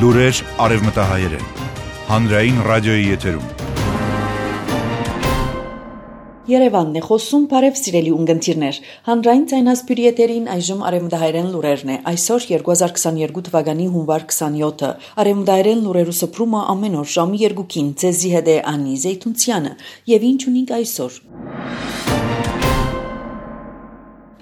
Լուրեր արևմտահայերեն, հանրային ռադիոյի եթերում։ Երևանն է խոսում, բարև սիրելի ունգընտիրներ, հանրային ձայնասպյուրի եթերին այժմ արևմտահայերեն լուրերն է, այսօր 2022 թվականի հունվար 27-ը, արևմտահայերեն լուրերու սփռումը ամեն օր ժամի 2-ին, ձեզի հետ է Անի Զեյթունցյանը, եւ ինչ ունենք այսօր։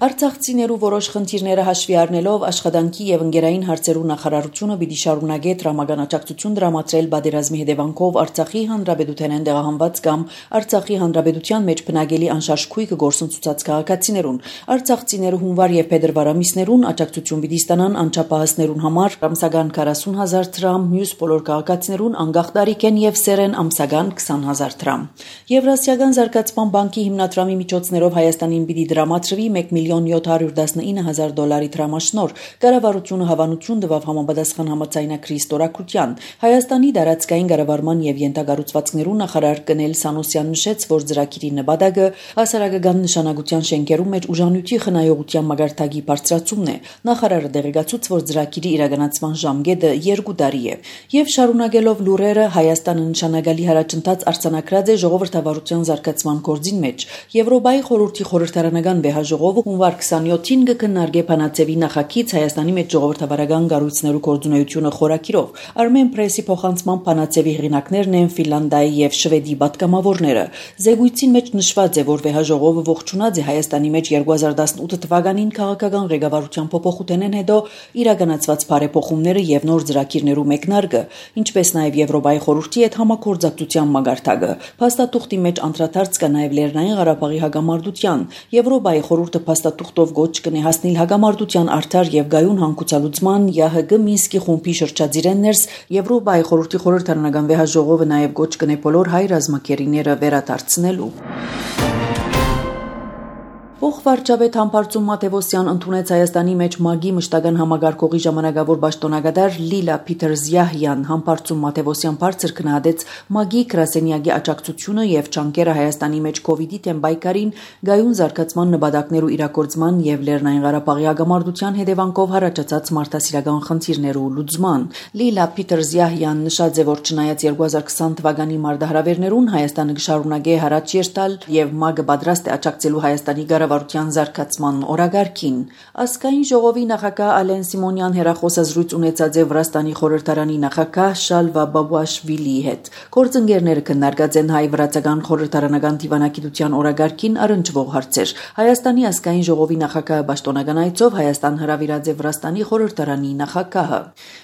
Արցախցիներու որոշ խնդիրները հաշվի առնելով աշխատանքի եւ ընկերային հարցերու նախարարությունը պիտի շարունակի տրամական աջակցություն դրամատրել պատերազմի հետևանքով Արցախի հանրապետութենեն տեղահանված կամ Արցախի հանրապետության մեջ բնակելի անշարժ քույկը գործընծուցած քաղաքացիներուն։ Արցախցիները հունվար եւ փետրվար ամիսներուն աջակցություն պիտի ստանան անչափահասներուն համար ամսական 40,000 դրամ, մյուս բոլոր քաղաքացիներուն անկախ տարիքեն եւ սերեն ամսական 20,000 դրամ։ Եվրասիական զարգացման բանկի հիմնադրամի միջոցներով Հայաստանին պիտի դրամատրվի 1,719,000 դոլարի դրամաշնոր, կառավարությունը հավանություն տվավ համապատասխան համաձայնագրի ստորագրության։ Հայաստանի դարածքային կառավարման եւ յենթագառուցվածքներու նախարար Կնել Սանոսյան նշեց, որ ծրագիրի նպատակը հասարակական նշանակության շենքերու մեջ ուժանույթի խնայողության մագարտակի բարձրացումն է։ Նախարարը դեղեկացուց, որ ծրագիրի իրականացման ժամկետը 2 տարի է։ Եվ շարունակելով լուրերը, Հայաստանը նշանակալի հարաճընթաց արձանագրած է ժողովրդավարության զարգացման գործին մեջ։ Եվրոպայի խորհրդի խորհրդարանական վեհաժողովը հունվար 27-ին կքննարկի Փանացեվի նախագիծ Հայաստանի մեջ ժողովրդավարական կառույցներու գործունեությունը խորակիրով։ Armen Press-ի փոխանցման Փանացեվի հեղինակներն են Ֆինլանդիայի եւ Շվեդի պատգամավորները։ Զեկույցին մեջ նշված է, որ վեհաժողովը ողջունած է Հայաստանի մեջ 2018 թվականին քաղաքական ղեկավարության փոփոխութենեն հետո իրականացված բարեփոխումները եւ նոր ծրագիրներու մեկնարկը, ինչպես նաեւ Եվրոպայի խորհրդի հետ համագործակցության մագարտակը։ Փաստաթուղթի մեջ անդրադարձ կա նաեւ Լեռնային Ղարաբաղի հագամարտության։ Եվրոպայի խորհուրդը փաստաթուղթով գոչ կնի հասնել հագամարտության արդար եւ գայուն հանգուցալուծման ՀՀԳ Մինսկի խումբի շրջածիրեն ներս Եվրոպայի խորհրդի խորհրդարանական վեհաժողովը նաեւ գոչ կնի բոլոր հայ ռազմակերիները վերադարձնելու։ Փոխվարչապետ Համբարձում Մաթևոսյան ընդունեց Հայաստանի մեջ ՄԱԳ-ի մշտական համագարկողի ժամանակավոր պաշտոնագետար Լիլա Փիթերզյահյան։ Համբարձում Մաթևոսյան բարձր գնահատեց ՄԱԳ-ի գրասենյակի աջակցությունը եւ ջանքերը Հայաստանի մեջ կոവിഡ്ի դեմ պայքարին, գայուն զարգացման նպատակներու իրագործման եւ Լեռնային Ղարաբաղի հագամարտության հետևանքով առաջացած մարդասիրական խնդիրներու լուծման։ Լիլա Փիթերզյահյան նշած է, որ չնայած 2020 թվականի մարտահրավերներուն Հայաստանը կշարունակի հարաճ երթալ եւ ՄԱԳ-ը պատրաստ է աջակցելու Հայաստանի կառավարության զարգացման օրագարկին։ Ազգային ժողովի նախագահ Ալեն Սիմոնյան հերախոսազրույց ունեցած է Վրաստանի խորհրդարանի նախագահ Շալվա Բաբուաշվիլիի հետ։ Գործընկերները քննարկած են հայ-վրացական խորհրդարանական դիվանագիտության օրագարկին առնչվող հարցեր։ Հայաստանի ազգային ժողովի նախագահը պաշտոնական այցով Հայաստան հրավիրած է Վրաստանի խորհրդարանի նախագահը։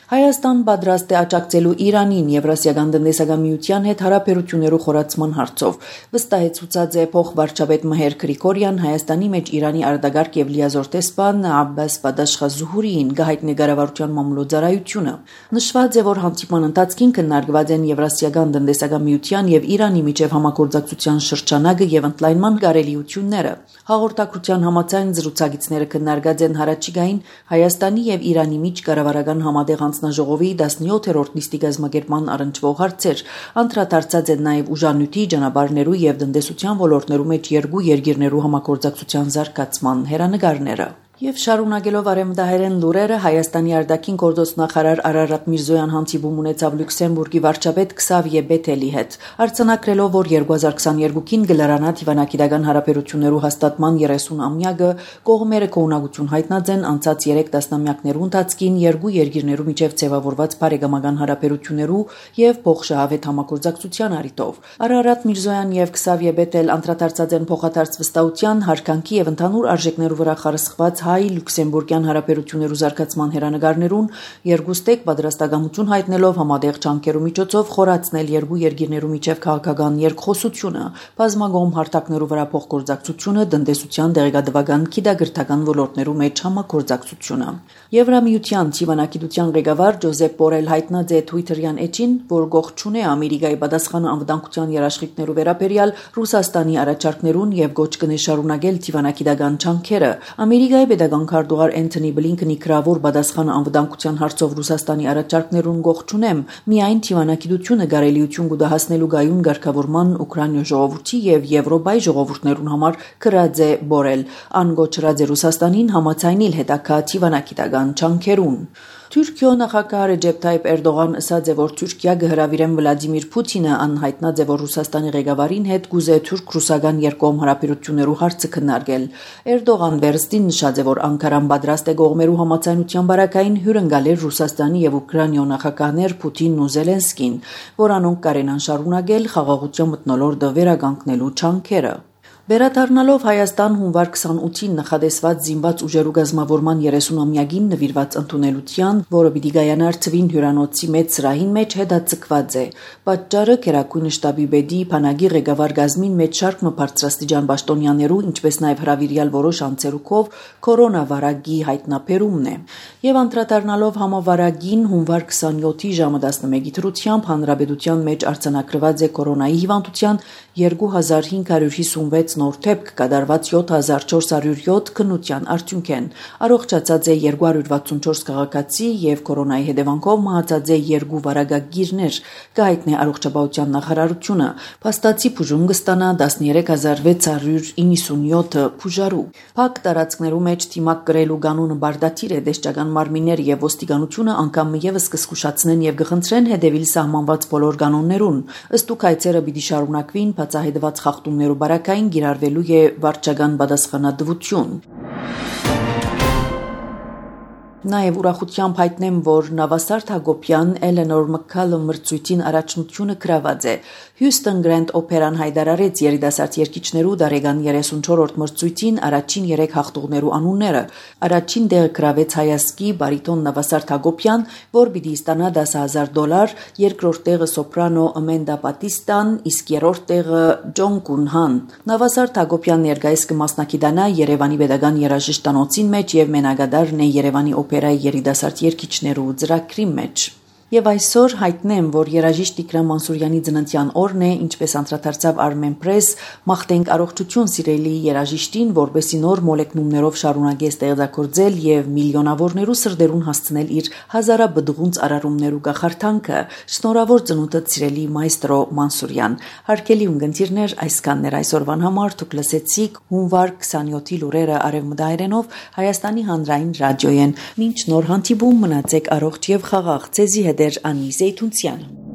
Հայաստան պատրաստ է աջակցելու Իրանին Եվրասիական տնտեսական միության հետ հարաբերություններու խորացման հարցով։ Վստահեցուցած է փոխվարչապետ Մհեր Գրիգորյան Հայաստանի մեջ Իրանի արտագաղթ եւ լիազոր տեսփան Աբբաս Բադաշխազուհուրիին գահիտնի կառավարության մամլոյցարայությունը։ Նշված է, որ հանդիպման ընթացքին քննարկված են Եվրասիական տնտեսական միության եւ Իրանի միջև համագործակցության շրջանակը եւ ընդլայնման կարելիությունները։ Հաղորդակցության համաձայն զրուցակիցները քննարկած են հարաճիգային Հայաստանի եւ Իրանի միջ կառավարական համատեղ հանձնաժողովի 17-րդ նիստի կազմակերպման առնչվող հարցեր։ Անդրադարձած են նաեւ ուժանույթի, ճանապարհներու եւ տնտեսության ոլորտներու մեջ երկու երկիրներու համագործակցության զարգացման հերանեկարները։ Եվ շարունակելով արևմտահայերեն լուրերը, Հայաստանի արտաքին գործոս նախարար Արարատ Միրզոյան հանդիպում ունեցավ Լյուքսեմբուրգի վարչապետ Քսավիե Բեթելի հետ, արձանագրելով, որ 2022-ին գլարանա դիվանագիտական հարաբերություններու հաստատման 30-ամյակը, կողմերը կողմնակություն հայտնած են անցած 3 տասնամյակներու ընթացքին երկու երկիրներու միջև ձևավորված բարեկամական հարաբերություններու եւ փոխշահավետ համագործակցության առիթով։ Արարատ Միրզոյան եւ Քսավիե Բեթել անդրադարձած են փոխադարձ վստահության, հարկանքի եւ ընդհանուր արժեքներու վրա խարսխված հայ-լյուքսեմբուրգյան հարաբերություններու զարգացման հերանեկարներուն երկուստեք պատրաստակամություն հայտնելով համատեղ ջանքերու միջոցով խորացնել երկու երկիրներու միջև քաղաքական երկխոսությունը, բազմակողմ հարթակներու վրա փոխգործակցությունը, տնտեսության, դեղեկատվական, գիտագրթական ոլորտներու մեջ համագործակցությունը։ Եվրամիության դիվանագիտության ղեկավար Ջոզեփ Բորել հայտնած է Twitter-յան էջին, որ գողջուն է Ամերիկայի պատասխանը անվտանգության երաշխիքներու վերաբերյալ Ռուսաստանի առաջարկներուն եւ գոչ կնի շարունակել դիվանագիտական ջանքերը։ Ամերիկայի պետական քարտուղար Էնթոնի Բլինքենի գրավոր պատասխանը անվտանգության հարցով Ռուսաստանի առաջարկներուն գողջունեմ, միայն դիվանագիտությունը կարելիություն կդահասնելու գայուն ղեկավարման Ուկրաինա ժողովրդի եւ Եվրոպայի ժողովուրդներուն համար գրած է Բորել, անգոչրած է Ռուսաստանին համաձայնել հետագա դիվանագիտական ջանքերուն։ Թուրքիո նախագահ Ռեջեփ Թայիփ Էրդողան ասաց է, որ Թուրքիա կհրավիրեն Վլադիմիր Պուտինը, անհայտնած է, որ Ռուսաստանի ղեկավարին հետ կուզե թուրք-ռուսական երկկողմ հարաբերություններու հարցը քննարկել։ Էրդողան վերստին նշած է, որ Անկարան պատրաստ է կողմերու համաձայնության բարակային հյուրընկալել Ռուսաստանի եւ Ուկրաինա նախագահներ Պուտինն ու Զելենսկին, որանոնք կարենան շարունակել խաղաղության մթնոլորտը վերականգնելու չանքերը։ Վերադառնալով Հայաստան հունվար 28-ին նախադեсված զինված ուժերու գազմավորման 30-ամյակին նվիրված ընդունելության, որը պիտի կայանար Ցվին հյուրանոցի մեծ սրահին մեջ հետաձգված է։ Պատճառը Գերագույն շտաբի պետի Փանագի ղեկավար գազմին մեջ շարք բարձրաստիճան պաշտոնյաներու, ինչպես նաև հրավիրյալ որոշ անձերուկով կորոնավարակի հայտնաբերումն է։ Եվ անդրադառնալով համավարակին հունվար 27-ի ժամը 11-ի դրությամբ հանրապետության մեջ արձանագրված է կորոնայի հիվանդության 2556 նոր դեպք կատարված 7407 քննության արդյունքեն։ Առողջացած է 264 քաղաքացի եւ կորոնայի հետևանքով մահացած է 2 վարակագիրներ, կհայտնի առողջապահության նախարարությունը։ Փաստացի բուժում կստանա 13697 բուժարու։ Փակ տարածքներու մեջ թիմակ կրելու կանոնը բարդաթիր է, դեշտական մարմիններ եւ ոստիկանությունը անգամ եւս կսկուշացնեն եւ կխնդրեն հետևիլ սահմանված բոլոր կանոններուն։ Ըստ հայցերը պիտի շարունակվին բացահայտված խախտումներու բարակային գիրարվելու է վարչական պատասխանատվություն։ Նաև ուրախությամբ հայտնեմ, որ Նավասարդ Հակոբյան Էլենոր Մքքալում մրցույթին առաջնությունը գրաված է։ Հյուսթոն Գրենդ օպերան հայտարարեց երիտասարդ երգիչներու դարեգան 34-րդ մրցույթին առաջին 3 հաղթողներու անունները։ Առաջին տեղը գրավեց հայասկի բարիտոն Նավասարդ Հակոբյան, որ պիտի ստանա $10,000, երկրորդ տեղը սոպրանո Ամենդա Պատիստան, իսկ երրորդ տեղը Ջոն Կունհան։ Նավասարդ Հակոբյան ներկայիս կմասնակցի Երևանի Պետական երաժշտանոցին մեջ եւ մենակադարն է Երևանի օպերայի երիտասարդ երգիչներու ծրագրի մեջ։ Եվ այսօր հայտնեմ, որ երաժիշտ Տիգրան Մանսուրյանի ծննդյան օրն է, ինչպես անդրադարձավ Armenpress, մաղթենք առողջություն սիրելի երաժիշտին, որպեսզի նոր մոլեկնումներով շարունակի ստեղծագործել եւ միլիոնավորներու սրտերուն հասցնել իր հազարաբդղունց արարումներու գախարթանքը։ Շնորհավոր ծնունդդ սիրելի մայստրո Մանսուրյան։ Հարգելի ունկնդիրներ, այսքաններ այսօրվան համար դուք լսեցիք հունվար 27-ի լուրերը արևմտահայերենով Հայաստանի հանրային ռադիոյեն։ Մինչ նոր հանդիպում մնացեք առողջ եւ խաղաղ։ Ձեզի հետ էր Անի Զեյթունցյանը։